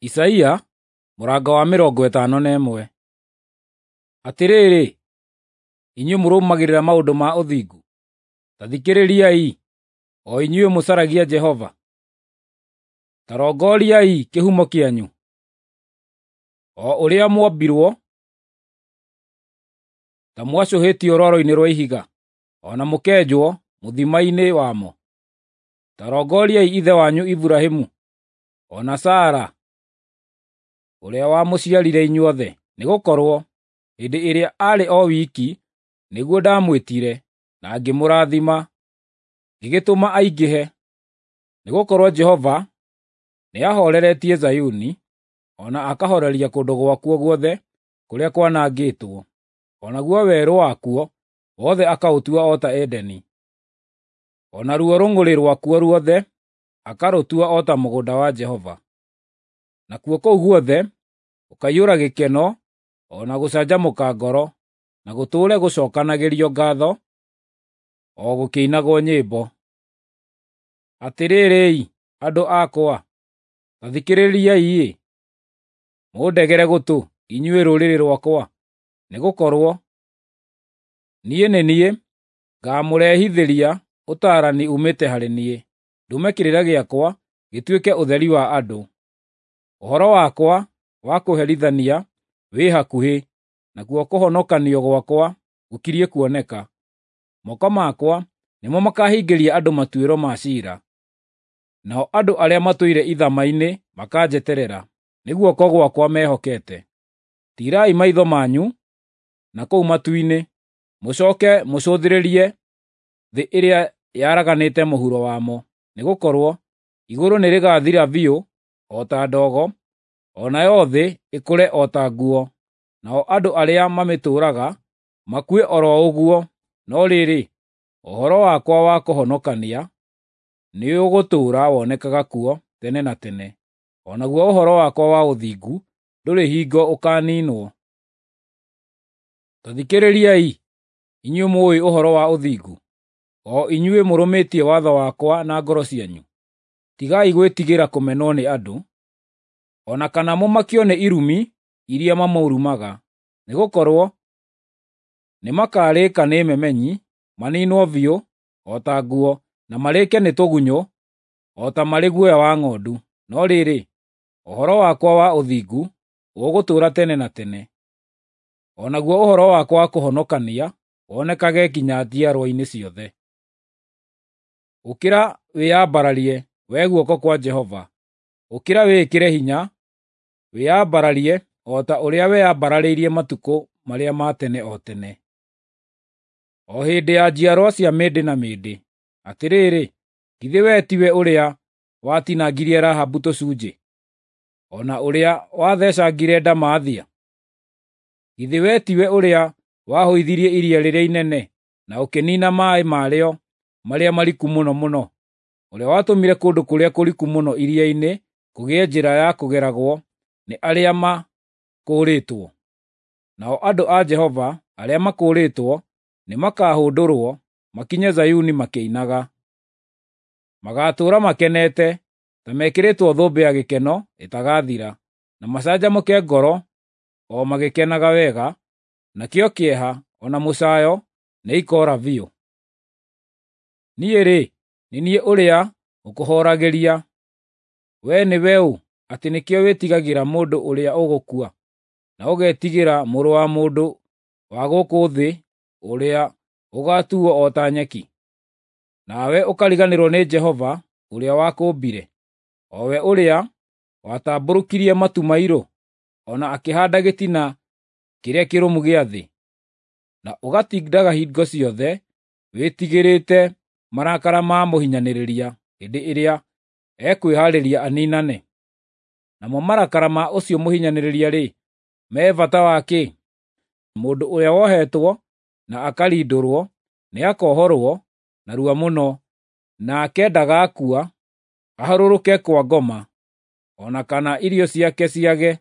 Isaia mũrango wa 51. Atĩrĩrĩ, inyuĩ mũrũmagĩrĩra maũndũ ma ũthingu, ta thikĩrĩriai, o inyuĩ mũcaragia Jehova. Ta rongoriai kĩhumo kĩanyu, o ũrĩa mwombirwo ta mwacũhĩtio rwaro-inĩ rwa ihiga, o na mũkenjwo mũthima-inĩ wamo. Ta rongoriai ithe wanyu Iburahĩmu, o na Sara ũrĩa wamũciarire inyuothe, nĩgũkorwo hĩndĩ ĩrĩa aarĩ o wiki nĩguo ndamwĩtire, na ngĩmũrathima, ngĩgĩtũma aingĩhe. Nĩgũkorwo Jehova nĩahooreretie Zayuni, o na akahooreria kũndũ gwakuo guothe kũrĩa kwanangĩtwo, o naguo werũ wakuo wothe akaũtua o ta Edeni, o naruo rũng'ũrĩ rwakuo ruothe akarũtua o ta mũgũnda wa Jehova. Nakuo kũu guothe gũkaiyũra gĩkeno o na gũcanjamũka ngoro, na gũtũũre gũcookanagĩrio ngaatho, o gũkĩinagwo nyĩmbo. Atĩrĩrĩ-i, andũ akwa, ta thikĩrĩriai-ĩ, mũndegere gũtũ, inyuĩ rũrĩrĩ rwakwa, nĩgũkorwo niĩ nĩ niĩ ngaamũrehithĩria ũtaarani uumĩte harĩ niĩ, ndũme kĩrĩra gĩakwa gĩtuĩke ũtheri wa andũ. Ũhoro wakwa wa kũherithania wĩ hakuhĩ, nakuo kũhonokanio gwakwa gũkiriĩ kuoneka. Moko makwa nĩmo makaahingĩria andũ matuĩro ma ciira, nao andũ arĩa matũire ithama-inĩ makanjeterera, nĩ guoko gwakwa mehokete. Tiirai maitho manyu na kũu matu-inĩ, mũcooke mũcũthĩrĩrie thĩ ĩrĩa yaraganĩte mũhuro wamo, nĩgũkorwo igũrũ nĩrĩgathira biũ o ta ndogo, o nayo thĩ ĩkũre o ta nguo, nao andũ arĩa mamĩtũũraga makue o ro ũguo. No rĩrĩ, ũhoro wakwa wa kũhonokania nĩũgũtũũra wonekaga kuo tene na tene, o naguo ũhoro wakwa wa ũthingu ndũrĩ hingo ũkaaniinwo. Ta thikĩrĩriai, inyuĩ mũũĩ ũhoro wa ũthingu, o inyuĩ mũrũmĩtie watho wakwa na ngoro cianyu. Tigai gwĩtigĩra kũmenwo nĩ andũ, o na kana mũmakio nĩ irumi iria mamũrumaga, nĩgũkorwo nĩmakarĩĩka nĩ memenyi, maniinwo biũ o ta nguo, na marĩĩke nĩ tũgunyũ o ta marĩ guoya wa ng'ondu. No rĩrĩ, ũhoro wakwa wa ũthingu ũgũtũũra tene na tene, o naguo ũhoro wakwa wa kũhonokania wonekage nginya njiarwa-inĩ ciothe. Ũkĩra wĩyambararie, wee guoko kwa Jehova; ũkĩra wĩĩkĩre hinya, wĩyambararie o ta ũrĩa weyambararĩirie matukũ marĩa ma tene o tene, o hĩndĩ ya njiarwa cia mĩndĩ na mĩndĩ. Atĩrĩrĩ, githĩ wee tiwe ũrĩa watinangirie Rahabu tũcunjĩ, o na ũrĩa wathecangire ndamathia? Githĩ wee tiwe ũrĩa wahũithirie iria rĩrĩa inene, na ũkĩniina maaĩ marĩo marĩa mariku mũno mũno, ũrĩa watũmire kũndũ kũrĩa kũriku mũno iria-inĩ kũgĩe njĩra ya kũgeragwo nĩ arĩa makũũrĩtwo? Nao andũ a Jehova arĩa makũũrĩtwo nĩmakahũndũrwo makinye Zayuni makĩinaga. Magaatũũra makenete, ta mekĩrĩtwo thũmbĩ ya gĩkeno ĩtagathira, na macanjamũke ngoro o magĩkenaga wega, nakĩo kĩeha o na mũcaayo nĩikoora biũ. Niĩ-rĩ, nĩ niĩ ũrĩa ũkũhooragĩria. Wee nĩwe ũ atĩ nĩkĩo wĩtigagĩra mũndũ ũrĩa ũgũkua, na ũgetigĩra mũrũ wa mũndũ wa gũkũ thĩ ũrĩa ũgaatuo o ta nyeki? Nawe ũkariganĩrwo nĩ Jehova ũrĩa wakũũmbire, o we ũrĩa watambũrũkirie matu mairũ, o na akĩhaanda gĩtina kĩrĩa kĩrũmu gĩa thĩ, na ũgatindaga hingo ciothe wĩtigĩrĩte marakara ma mũhinyanĩrĩria hĩndĩ ĩrĩa ekwĩhaarĩria aniinane. Namo marakara ma ũcio mũhinyanĩrĩria-rĩ, me bata wa kĩ? Mũndũ ũrĩa wohetwo na akarindũrwo nĩakohorwo narua mũno, nake ndagaakua aharũrũke kwa ngoma, o na kana irio ciake ciage.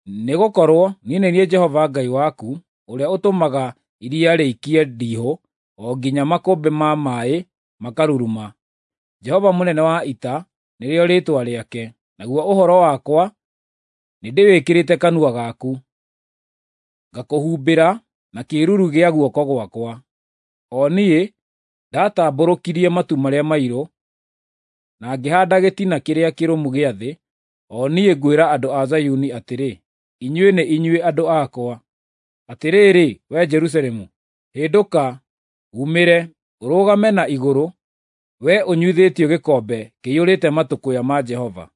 Nĩgũkorwo niĩ nĩ niĩ Jehova Ngai waku, ũrĩa ũtũmaga iria rĩikie ndiihũ o nginya makũmbĩ ma maaĩ makaruruma. Jehova mũnene wa ita nĩrĩo rĩĩtwa rĩake. naguo ũhoro wakwa nĩndĩwĩkĩrĩte kanua gaku, ngakũhumbĩra na kĩĩruru gĩa guoko gwakwa. O niĩ ndatambũrũkirie matu marĩa mairũ, na ngĩhaanda gĩtina kĩrĩa kĩrũmu gĩa thĩ, o niĩ ngwĩra andũ a Zayuni atĩrĩ, ‘Inyuĩ nĩ inyuĩ andũ akwa.’ Atĩrĩrĩ, wee Jerusalemu, hĩndũka, uumĩre, ũrũgame na igũrũ, wee ũnyuithĩtio gĩkombe kĩiyũrĩte matũkũya ma Jehova,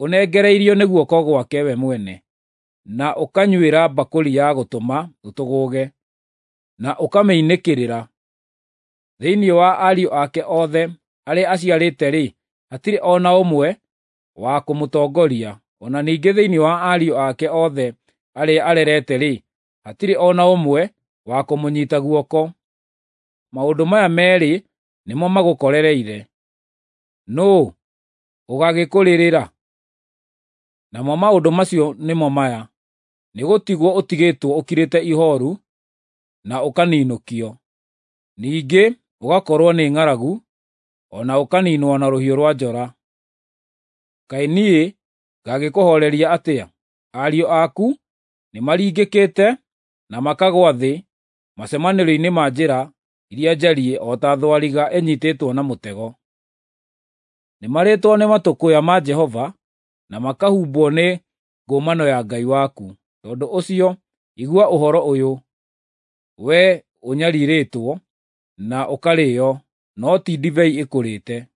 ũnengereirio nĩ guoko gwake we mwene, na ũkanyuĩra mbakũri ya gũtũma ũtũgũge, na ũkamĩinĩkĩrĩra. Thĩinĩ wa ariũ ake othe arĩa aciarĩte-rĩ, hatirĩ o na ũmwe wa kũmũtongoria, o na ningĩ thĩinĩ wa ariũ ake othe arĩa arerete-rĩ, hatirĩ o na ũmwe wa kũmũnyiita guoko. Maũndũ maya meerĩ nĩmo magũkorereire, nũũ ũgaagĩkũrĩrĩra? Namo maũndũ macio nĩmo maya: nĩgũtigwo ũtigĩtwo ũkirĩte ihooru na ũkaninũkio, ningĩ ũgakorwo nĩ ng'aragu, o na ũkaniinwo na rũhiũ rwa njora. Kaĩ niĩ ngagĩkũhooreria atĩa? Ariũ aku nĩmaringĩkĩte na makagũa thĩ macemanĩrio-inĩ ma njĩra iria njariĩ o ta thwariga ĩnyiitĩtwo na mũtego. Nĩmarĩĩtwo nĩ matũkũya ma Jehova, na makahumbwo nĩ ngũmano ya Ngai waku. Tondũ ũcio, igua ũhoro ũyũ, wee ũnyariirĩtwo na ũkarĩĩo, no ti ndibei ĩkũrĩte.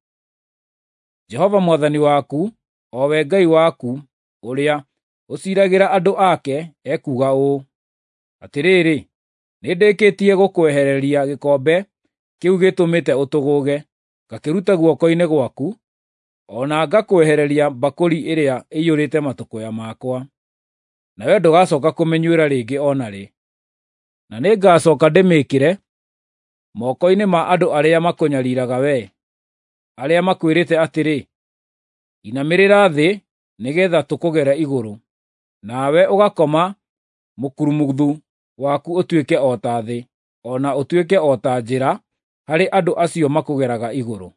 Jehova Mwathani waku, o we Ngai waku ũrĩa ũciiragĩra andũ ake, ekuuga ũũ: Atĩrĩrĩ, nĩndĩkĩtie gũkwehereria gĩkombe kĩu gĩtũmĩte ũtũgũge, ngakĩruta guoko-inĩ gwaku, o na ngakwehereria mbakũri ĩrĩa ĩiyũrĩte matũkũya makwa, nawe ndũgacooka kũmĩnyuĩra rĩngĩ o na rĩ. Na nĩngacooka ndĩmĩĩkĩre moko-inĩ ma andũ arĩa makũnyariiraga wee, arĩa makwĩrĩte atĩrĩ, ‘Inamĩrĩra thĩ nĩgeetha tũkũgere igũrũ,’ nawe ũgakoma mũkurumuthu waku ũtuĩke o ta thĩ, o na ũtuĩke o ta njĩra harĩ andũ acio makũgeraga igũrũ.